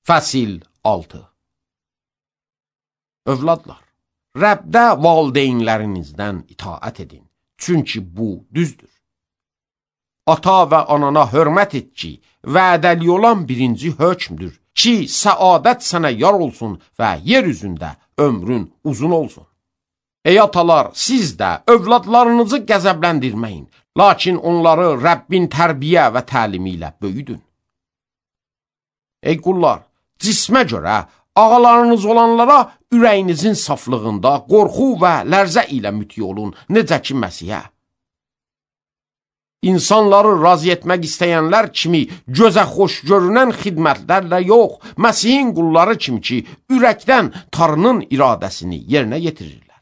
Fəsil 6. Övladlar, Rəbdə valideynlərinizdən itaət edin, çünki bu düzdür. Ata və anana hörmət et ki, vədəli olan birinci hökmdür ki, səadət sənə yar olsun və yer üzündə ömrün uzun olsun. Ey atalar, siz də övladlarınızı qəzəbləndirməyin, lakin onları Rəbbin tərbiyə və təlimi ilə böyüdün. Ey qullar, cismə görə ağalarınız olanlara ürəyinizin saflığında qorxu və lərzə ilə müti olun, necə ki Məsihə. İnsanları razı etmək istəyənlər kimi gözə xoş görünən xidmətlərlə yox, Məsihin qulları kimi ki, ürəkdən Tanrının iradəsini yerinə yetirirlər.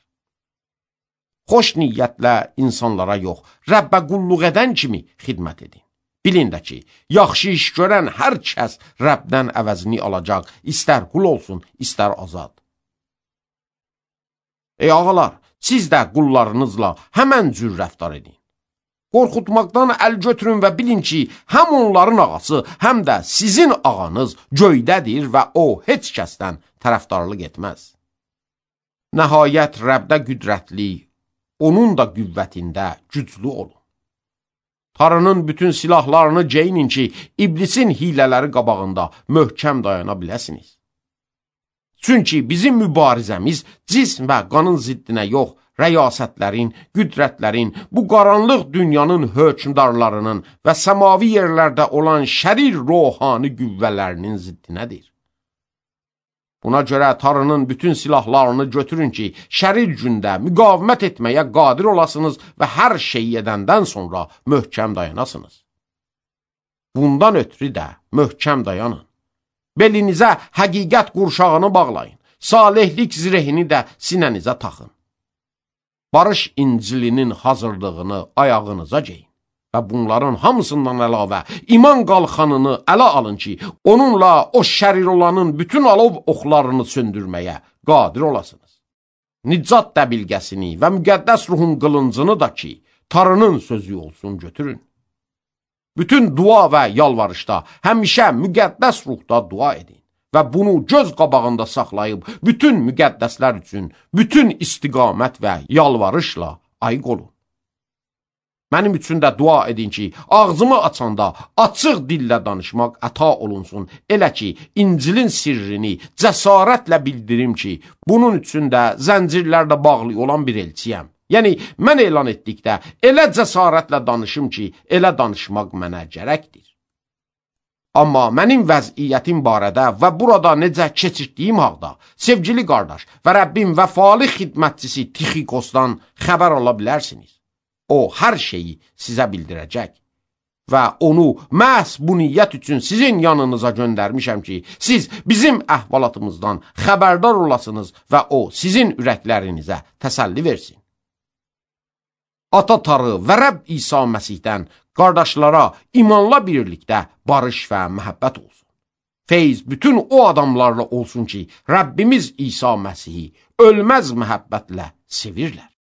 Xoş niyyətlə insanlara yox, Rəbbə qulluq edən kimi xidmət edin. Bilin də ki, yaxşı iş görən hər kəs Rəbdən əvəzini alacaq, istər qul olsun, istər azad. Ey ağalar, siz də qullarınızla həmən cür rəftar edin. Qorxutmaqdan əl götürün və bilin ki, həm onların ağası, həm də sizin ağanız göydədir və o heç kəsdən tərəfdarlıq etməz. Nəhayət Rəbdə qüdrətli, onun da qüvvətində güclü olun. Tanrının bütün silahlarını geyinin ki, iblisin hilələri qabağında möhkəm dayana biləsiniz. Çünki bizim mübarizəmiz cism və qanın ziddinə yox, rəyasətlərin, qüdrətlərin, bu qaranlıq dünyanın hökmdarlarının və səmavi yerlərdə olan şərir ruhani qüvvələrinin ziddinədir. Buna görə Tanrının bütün silahlarını götürün ki, şərir gündə müqavimət etməyə qadir olasınız və hər şeyi edəndən sonra möhkəm dayanasınız. Bundan ötürü də möhkəm dayanın. Belinizə həqiqət qurşağını bağlayın, salihlik zirehini də sinənizə taxın. Barış İncilinin hazırlığını ayağınıza geyin və bunların hamısından əlavə iman qalxanını ələ alın ki, onunla o şərir olanın bütün alov oxlarını söndürməyə qadir olasınız. Nicat dəbilgəsini və müqəddəs ruhun qılıncını da ki, Tanrının sözü olsun götürün. Bütün dua və yalvarışda həmişə müqəddəs ruhda dua edin və bunu göz qabağında saxlayıb bütün müqəddəslər üçün bütün istiqamət və yalvarışla ayıq olun. Mənim üçün də dua edin ki, ağzımı açanda açıq dillə danışmaq əta olunsun, elə ki, İncilin sirrini cəsarətlə bildirim ki, bunun üçün də zəncirlərdə bağlı olan bir elçiyəm. Yəni, mən elan etdikdə elə cəsarətlə danışım ki, elə danışmaq mənə gərəkdir. Amma mənim vəziyyətim barədə və burada necə keçirdiyim haqda sevgili qardaş və Rəbbin vəfalı xidmətçisi Tixikosdan xəbər ala bilərsiniz. O, hər şeyi sizə bildirəcək və onu məhz bu niyyət üçün sizin yanınıza göndərmişəm ki, siz bizim əhvalatımızdan xəbərdar olasınız və o, sizin ürəklərinizə təsəlli versin. Ata Tanrı və Rəbb İsa Məsihdən qardaşlara imanla birlikdə barış və məhəbbət olsun. Feyz bütün o adamlarla olsun ki, Rəbbimiz İsa Məsihi ölməz məhəbbətlə sevirlər.